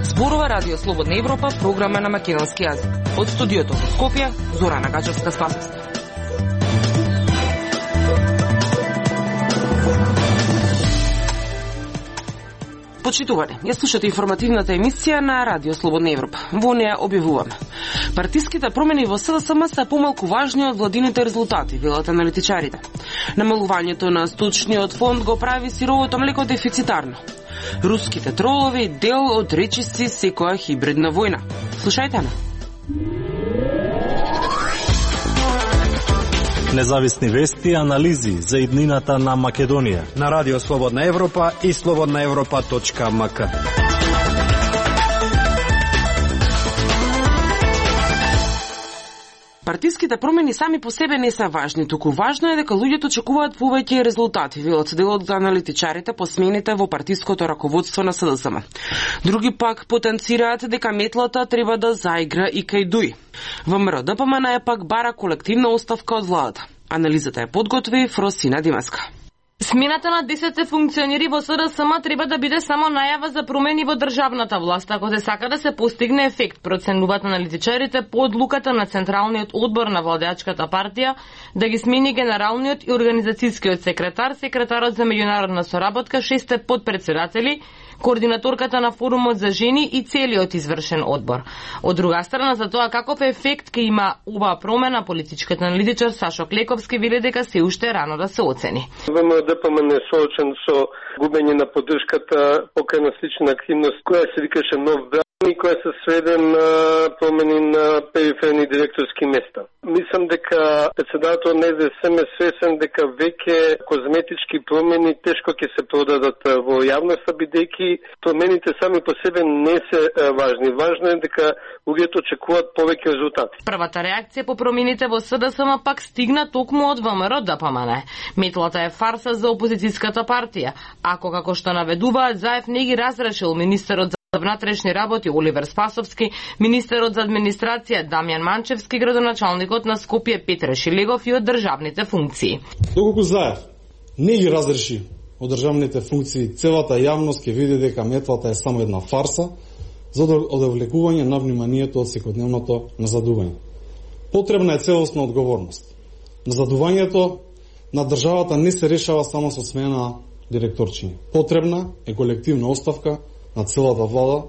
Зборува Радио Слободна Европа, програма на македонски јазик. Од студиото во Скопје, Зорана Гачевска-Спасовска. Почитувани, ја слушате информативната емисија на Радио Слободна Европа. Во неја објавуваме: партиските промени во СДСМ се помалку важни од владините резултати, велат аналитичарите. Намалувањето на сточниот фонд го прави сировото млеко дефицитарно. Руските тролови дел од речиси секоја хибридна војна. Слушајте ме. Независни вести и анализи за иднината на Македонија на Радио Слободна Европа и slobodnaevropa.mk. Партиските промени сами по себе не се важни, туку важно е дека луѓето очекуваат повеќе резултати, велат делот за аналитичарите по смените во партиското раководство на СДСМ. Други пак потенцираат дека метлата треба да заигра и кај ДУИ. ВМРО ДПМН е пак бара колективна оставка од владата. Анализата е подготви Фросина Димаска. Смената на 10 функционери во СДСМ треба да биде само најава за промени во државната власт, ако се сака да се постигне ефект, проценуваат аналитичарите по одлуката на Централниот одбор на владеачката партија да ги смени генералниот и организацијскиот секретар, секретарот за меѓународна соработка, 6 подпредседатели, координаторката на форумот за жени и целиот извршен одбор. Од друга страна, за тоа каков ефект ќе има оваа промена, политичкиот аналитичар Сашо Клековски вели дека се уште рано да се оцени. ДПМН е соочен со губење на поддршката покрај на слична активност која се викаше Нов бран и која се сведе на промени на периферни директорски места. Мислам дека председател на СДСМ е свесен дека веќе козметички промени тешко ќе се продадат во јавноста, бидејќи промените сами по себе не се важни. Важно е дека луѓето очекуваат повеќе резултати. Првата реакција по промените во СДСМ пак стигна токму од ВМРО ДПМН. Метлата е фарса за опозицијската партија. Ако, како што наведуваат, Заев не ги разрешил министерот за внатрешни работи Оливер Спасовски, министерот за администрација Дамјан Манчевски, градоначалникот на Скопје Петре Шилегов и од државните функции. Доколку Заев не ги разреши од државните функции, целата јавност ќе види дека метлата е само една фарса за одвлекување на вниманието од секојдневното назадување. Потребна е целосна одговорност. Назадувањето на државата не се решава само со смена директорчиња. Потребна е колективна оставка на целата влада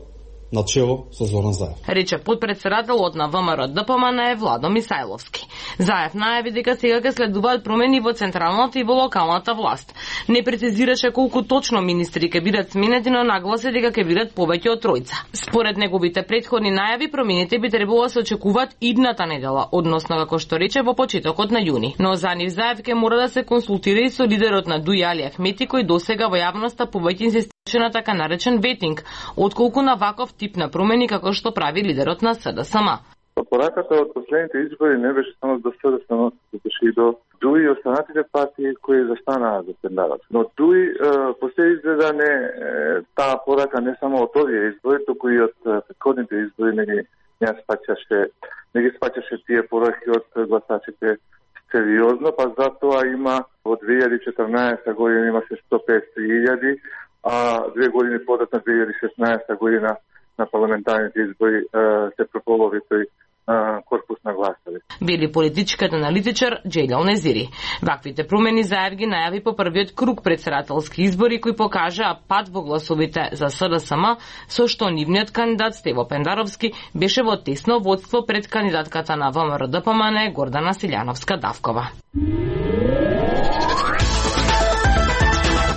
на чело со Зоран Заев. Рече подпредседателот на ВМРО ДПМН Владо Мисајловски. Заев најави дека сега ќе следуваат промени во централната и во локалната власт. Не прецизираше колку точно министри ќе бидат сменети, но нагласи дека ќе бидат повеќе од тројца. Според неговите претходни најави, промените би требало да се очекуваат идната недела, односно како што рече во почетокот на јуни. Но за нив Заев ќе мора да се консултира и со лидерот на ДУИ Али Ахмети, кој досега во јавноста повеќе инсистираше на така наречен ветинг, отколку на ваков тип на промени како што прави лидерот на СДСМ. Пораката од последните избори не беше само до СДСМ, беше и до ДУИ и останатите партии кои застанаа за тендерот. Но ДУИ по се изгледа не таа порака не само од овие избори, туку и од претходните избори не ги спаќаше тие пораки од гласачите сериозно, па затоа има во 2014 година имаше 150.000, а 2 години податна 2016 година на парламентарните избори се прополови тој корпус на гласови. Вели политичкиот аналитичар Джејлел Незири. Ваквите промени Заев ги најави по првиот круг председателски избори кои покажаа пад во гласовите за СДСМ, со што нивниот кандидат Стево Пендаровски беше во тесно водство пред кандидатката на ВМРО ДПМН Гордана Силјановска-Давкова.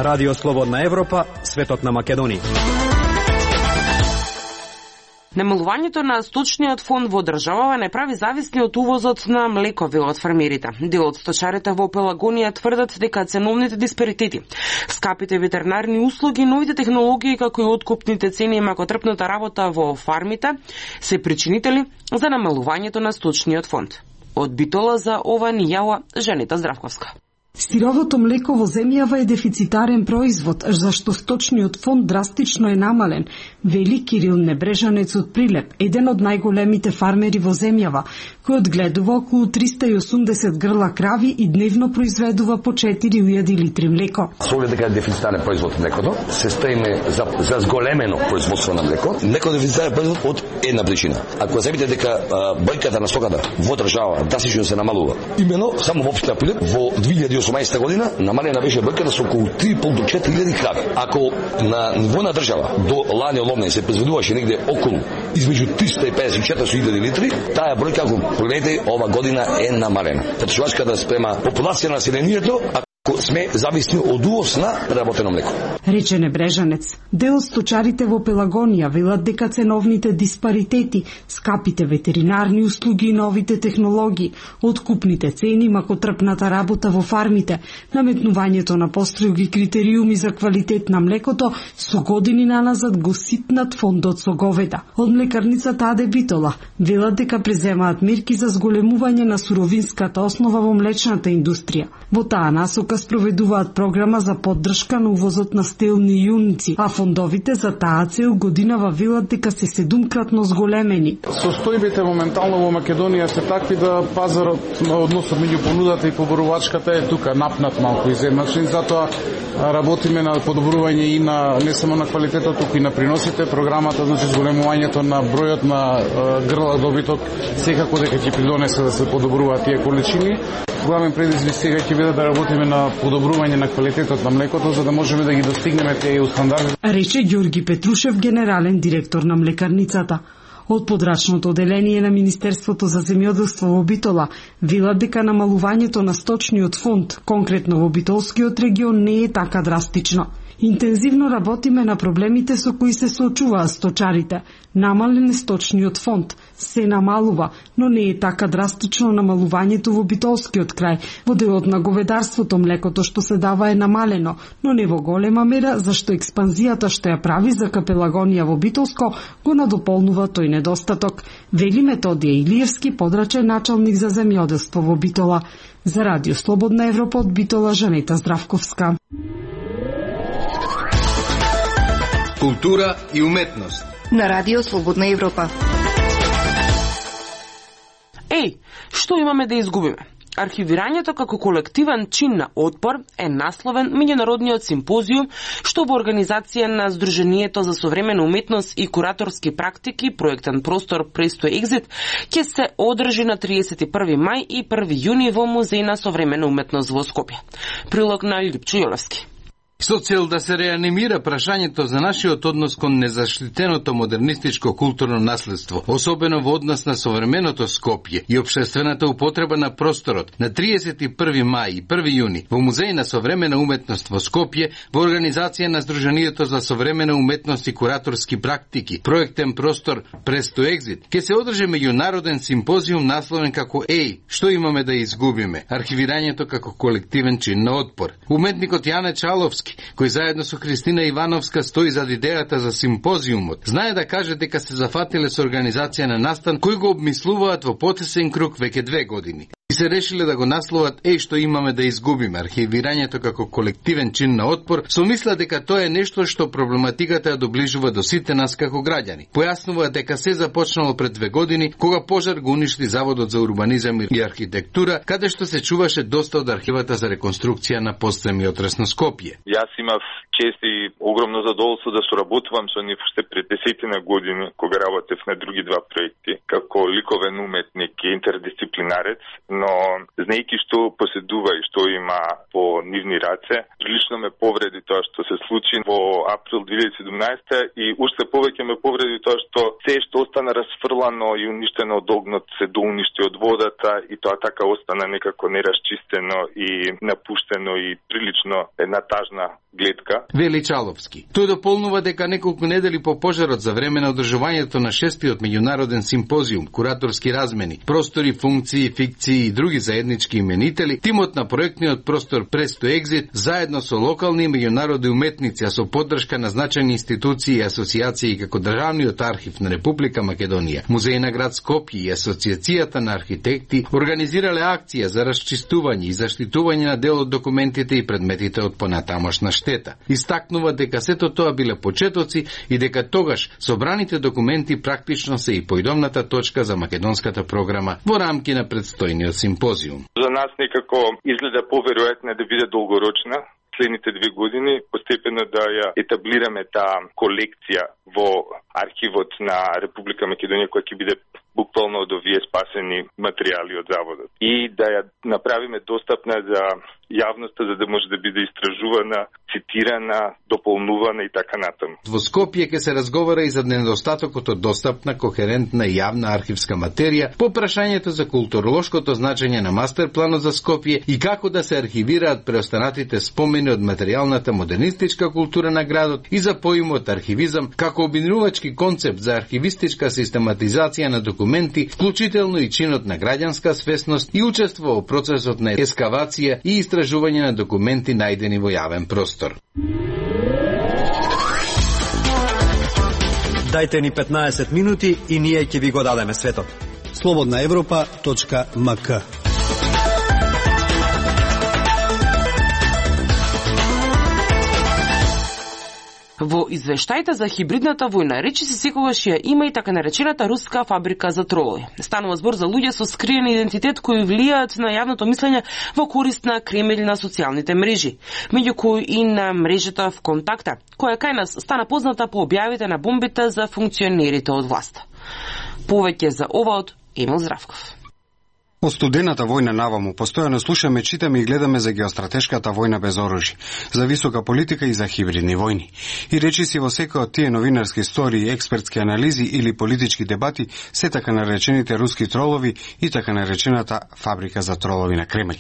Радио Слободна Европа, светот на Македонија. Намалувањето на сточниот фонд во државава не прави зависни од увозот на млеко, велат фермерите. Дел од сточарите во Пелагонија тврдат дека ценовните диспаритети, скапите ветеринарни услуги, новите технологии како и откупните цени и макотрпната работа во фармите се причинители за намалувањето на сточниот фонд. Од Битола за ова ни јава Женета Здравковска. Сировото млеко во земјава е дефицитарен производ, зашто сточниот фонд драстично е намален, вели Кирил Небрежанец од Прилеп, еден од најголемите фармери во земјава, кој одгледува околу 380 грла крави и дневно произведува по 4000 литри млеко. Со оглед дека е дефицитарен производ млекото, се стремиме за зголемено производство на млеко. Млеко дефицитарен производ од една причина. Ако забите дека бројката на стоката во држава драстично се намалува, имено само во општина Прилеп во 2018 година намалена беше бројката со околу 3.500 до 4.000 крави. Ако на ниво на држава до лани оловне се произведуваше негде околу измеѓу 350 и 400.000 литри, таа бројка, ако погледнете, ова година е намалена. Потрошувачката спрема популација на населението, ако сме зависни од увоз на преработено млеко. Рече Небрежанец. Дел од сточарите во Пелагонија велат дека ценовните диспаритети, скапите ветеринарни услуги и новите технологии, откупните цени, макотрпната работа во фармите, наметнувањето на построги критериуми за квалитет на млекото со години наназад го ситнат фондот со говеда. Од млекарницата Аде Битола велат дека преземаат мерки за зголемување на суровинската основа во млечната индустрија. Во таа насока спроведуваат програма за поддршка на увозот на стелни јуници, а фондовите за таа цел годинава велат дека се 7-кратно зголемени. Состојбите моментално во Македонија се такви да пазарот на односот меѓу понудата и поборувачката е тука напнат малку изедначен, затоа работиме на подобрување и на не само на квалитетот, туку и на приносите. Програмата, значи зголемувањето на бројот на грла добиток секако дека ќе придонесе да се подобруваат тие количини. Главен предизвик сега ќе биде да работиме на подобрување на квалитетот на млекото, за да можеме да ги достигнеме тие стандарди. Рече Ѓорги Петрушев, генерален директор на млекарницата. Од подрачното оделение на Министерството за земјоделство во Битола велат дека намалувањето на сточниот фонд, конкретно во Битолскиот регион, не е така драстично. Интензивно работиме на проблемите со кои се соочуваат сточарите. Намален е сточниот фонд, се намалува, но не е така драстично намалувањето во Битолскиот крај. Во делот на говедарството млекото што се дава е намалено, но не во голема мера, зашто експанзијата што ја прави за Пелагонија во Битолско го надополнува тој недостаток. Вели Методија Илиевски, подрачен началник за земјоделство во Битола. За Радио Слободна Европа од Битола, Жанета Здравковска. Култура и уметност на Радио Слободна Европа. Што имаме да изгубиме? Архивирањето како колективен чин на отпор е насловен меѓународниот симпозиум што во организација на Сдруженијето за современа уметност и кураторски практики проектен простор Presto Exit ќе се одржи на 31 мај и 1 јуни во Музеј на современа уметност во Скопје. Прилог на Липчо Јолевски. Со цел да се реанимира прашањето за нашиот однос кон незаштитеното модернистичко културно наследство, особено во однос на современото Скопје и општествената употреба на просторот, на 31 мај и 1 јуни во Музеј на современа уметност во Скопје, во организација на Сдруженијето за современа уметност и кураторски практики, проектен простор Presto Exit, ќе се одржи меѓународен симпозиум насловен како што имаме да изгубиме? Архивирањето како колективен чин на отпор. Уметникот Јане Чаловски, кој заедно со Христина Ивановска стои зад идејата за симпозиумот, знае да каже дека се зафатиле со организација на настан кој го обмислуваат во потесен круг веќе 2 години. И се решиле да го насловат што имаме да изгубиме, архивирањето како колективен чин на отпор, со мисла дека тоа е нешто што проблематиката ја доближува до сите нас како граѓани. Појаснуваат дека се започнало пред 2 години, кога пожар го уништи Заводот за урбанизам и архитектура, каде што се чуваше доста од архивата за реконструкција на постземјотрес на Скопје. Јас имав чест и огромно задоволство да соработувам со нив уште пред 10 години, кога работев на други 2 проекти, како ликовен уметник и интердисциплинарец, но знаејќи што поседува и што има по нивни раце, прилично ме повреди тоа што се случи во април 2017 и уште повеќе ме повреди тоа што се што остана расфрлано и уништено од огнот се доуништи од водата и тоа така остана некако нерасчистено и напуштено и прилично една тажна гледка. Вели Чаловски. Тој дополнува дека неколку недели по пожарот за време на одржувањето на 6-тиот меѓународен симпозиум, кураторски размени, простори, функции, фикции и други заеднички именители, тимот на проектниот простор Presto Exit заедно со локални и меѓународни уметници, а со поддршка на значајни институции и асоциации како Државниот архив на Република Македонија, Музеј на град Скопје и Асоциацијата на архитекти организирале акција за расчистување и заштитување на дел од документите и предметите од понатамошна штета. Истакнува дека сето тоа биле почетоци и дека тогаш собраните документи практично се и поидомната точка за македонската програма во рамки на предстојниот симпозиум. За нас некако изгледа поверојатно да биде долгорочна следните 2 години, постепено да ја етаблираме таа колекција во архивот на Република Македонија, која ќе биде буквално од овие спасени материјали од заводот. И да ја направиме достапна за јавноста, за да може да биде истражувана, цитирана, дополнувана и така натаму. Во Скопје ќе се разговара и за недостатокот од достапна, кохерентна и јавна архивска материја, по прашањето за културолошкото значење на мастерпланот за Скопје и како да се архивираат преостанатите спомени од материјалната модернистичка култура на градот и за поимот архивизам како обединувачки концепт за архивистичка систематизација на документи, вклучително и чинот на граѓанска свесност и учество во процесот на ескавација и истражување на документи најдени во јавен простор. Дајте ни 15 минути и ние ќе ви го дадеме светот. slobodnaevropa.mk. Во извештајта за хибридната војна речиси секогаш ја има и така наречената руска фабрика за тролови. Станува збор за луѓе со скриен идентитет кои влијаат на јавното мислење во корист на Кремљ на социјалните мрежи, меѓу кои и на мрежата ВКонтакте, која кај нас стана позната по објавите на бомбите за функционерите од власта. Повеќе за ова од Емил Здравков. Од студената војна наваму постојано слушаме, читаме и гледаме за геостратешката војна без оружје, за висока политика и за хибридни војни. И речиси во секој од тие новинарски истории, експертски анализи или политички дебати се така наречените руски тролови и така наречената фабрика за тролови на Кремљ.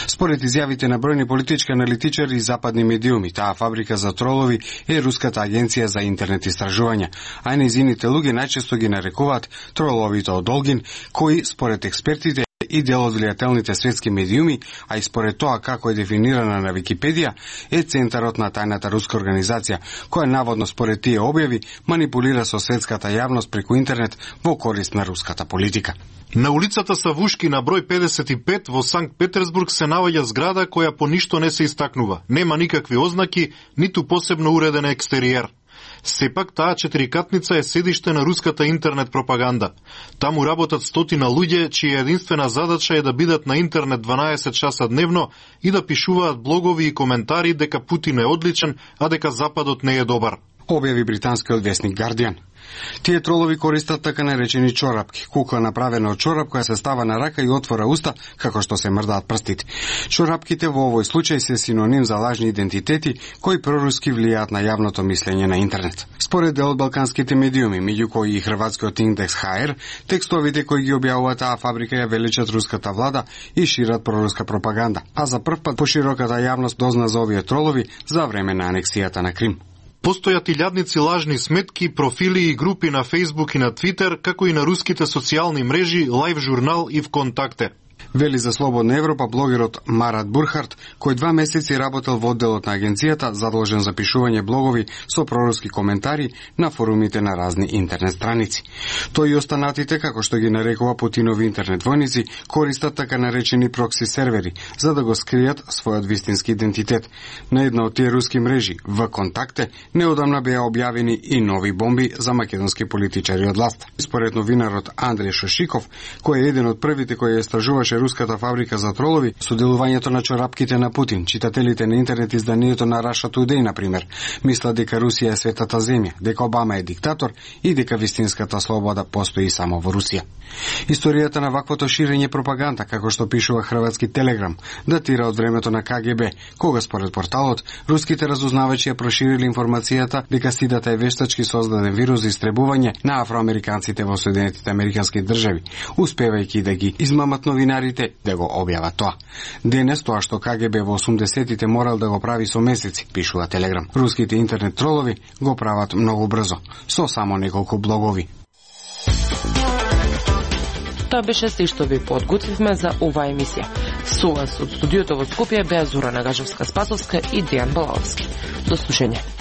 Според изјавите на бројни политички аналитичари и западни медиуми, таа фабрика за тролови е Руската агенција за интернет истражувања, а нејзините луѓе најчесто ги нарекуваат троловите од Олгин, кои според експертите и дел од влијателните светски медиуми, а и според тоа како е дефинирана на Википедија, е центарот на тајната руска организација, која наводно според тие објави манипулира со светската јавност преку интернет во корист на руската политика. На улицата Савушки на број 55 во Санкт Петерсбург се наоѓа зграда која по ништо не се истакнува. Нема никакви ознаки, ниту посебно уреден екстериер. Сепак таа четирикатница е седиште на руската интернет пропаганда. Таму работат стотина луѓе, чија единствена задача е да бидат на интернет 12 часа дневно и да пишуваат блогови и коментари дека Путин е одличен, а дека Западот не е добар. Објави британскиот весник Guardian. Тие тролови користат така наречени чорапки, кукла направена од чорап која се става на рака и отвора уста како што се мрдаат прстите. Чорапките во овој случај се синоним за лажни идентитети кои проруски влијаат на јавното мислење на интернет. Според дел од балканските медиуми, меѓу кои и хрватскиот индекс HR, текстовите кои ги објавуваат таа фабрика ја величат руската влада и шират проруска пропаганда, а за прв пат пошироката јавност дозна за овие тролови за време на анексијата на Крим. Постојат илјадници лажни сметки, профили и групи на Facebook и на Twitter, како и на руските социјални мрежи, Live журнал и ВКонтакте. Вели за Слободна Европа блогерот Марат Бурхарт, кој 2 месеци работел во одделот на агенцијата, задолжен за пишување блогови со проруски коментари на форумите на разни интернет страници. Тој и останатите, како што ги нарекува Путинови интернет војници, користат така наречени прокси сервери, за да го скријат својот вистински идентитет. На една од тие руски мрежи, ВКонтакте, неодамна беа објавени и нови бомби за македонски политичари од власт. Според новинарот Андреј Шошиков, кој е еден од првите кој ја истражуваше руската фабрика за тролови, соделувањето на чорапките на Путин, читателите на интернет изданието на Russia Today, например, мислат дека Русија е светата земја, дека Обама е диктатор и дека вистинската слобода постои само во Русија. Историјата на ваквото ширење пропаганда, како што пишува хрватски Телеграм, датира од времето на КГБ, кога според порталот, руските разузнавачи ја проширили информацијата дека сидата е вештачки создаден вирус за истребување на афроамериканците во Соединетите американски држави, успевајќи да ги измамат новинарите да го објават тоа. Денес тоа што КГБ во 80-тите морал да го прави со месеци, пишува Телеграм. Руските интернет тролови го прават многу брзо, со само неколку блогови. Тоа беше се што ви подготвивме за оваа емисија. Со вас од студиото во Скопје беа Зора Нагажевска-Спасовска и Дејан Балаловски. До слушање.